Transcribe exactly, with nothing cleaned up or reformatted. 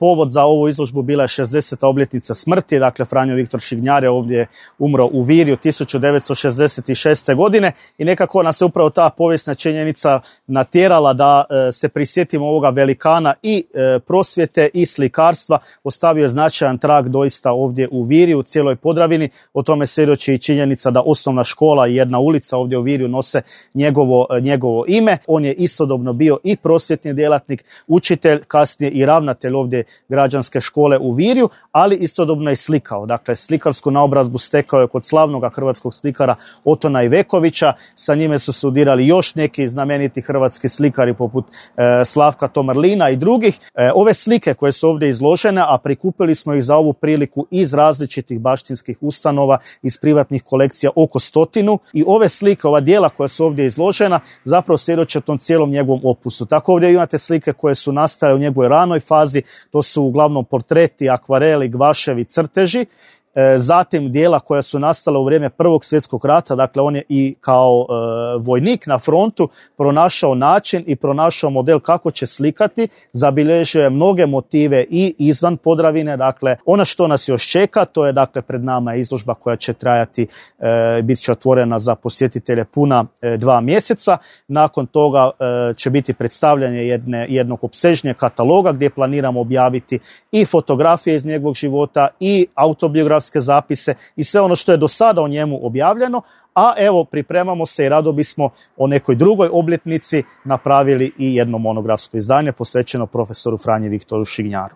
povod za ovu izložbu bila je šezdeseta obljetnica smrti, dakle Franjo Viktor Šignjar je ovdje umro u Virju tisuću devetsto šezdeset šeste. godine i nekako nas je upravo ta povijesna činjenica natjerala da e, se prisjetimo ovoga velikana i e, prosvjete i slikarstva. Ostavio je značajan trag doista ovdje u Virju, u cijeloj Podravini. O tome svjedoči i činjenica da osnovna škola i jedna ulica ovdje u Virju nose njegovo, njegovo ime. On je istodobno bio i prosvjetni djelatnik, učitelj, kasnije i ravnatelj ovdje građanske škole u Virju, ali istodobno je slikao. Dakle, slikarsku naobrazbu stekao je kod slavnog hrvatskog slikara Otona Ivekovića. Sa njime su studirali još neki znameniti hrvatski slikari poput e, Slavka Tomarlina i drugih. E, ove slike koje su ovdje izložene, a prikupili smo ih za ovu priliku iz različitih baštinskih ustanova, iz privatnih kolekcija oko stotinu, i ove slike, ova djela koja su ovdje izložena, zapravo svjedoče tom cijelom njegovom opusu. Tako ovdje imate slike koje su nastale u njegovoj ranoj fazi, to su uglavnom portreti, akvareli, gvaševi, crteži. E, zatim dijela koja su nastala u vrijeme Prvog svjetskog rata, dakle on je i kao e, vojnik na frontu pronašao način i pronašao model kako će slikati, zabilježio je mnoge motive i izvan Podravine. Dakle, ono što nas još čeka, to je dakle pred nama izložba koja će trajati, e, bit će otvorena za posjetitelje puna e, dva mjeseca. Nakon toga e, će biti predstavljanje jedne, jednog opsežnijeg kataloga gdje planiramo objaviti i fotografije iz njegovog života i autobiografije, zapise i sve ono što je do sada o njemu objavljeno, a evo pripremamo se i rado bismo o nekoj drugoj obljetnici napravili i jedno monografsko izdanje posvećeno profesoru Franji Viktoru Šignjaru.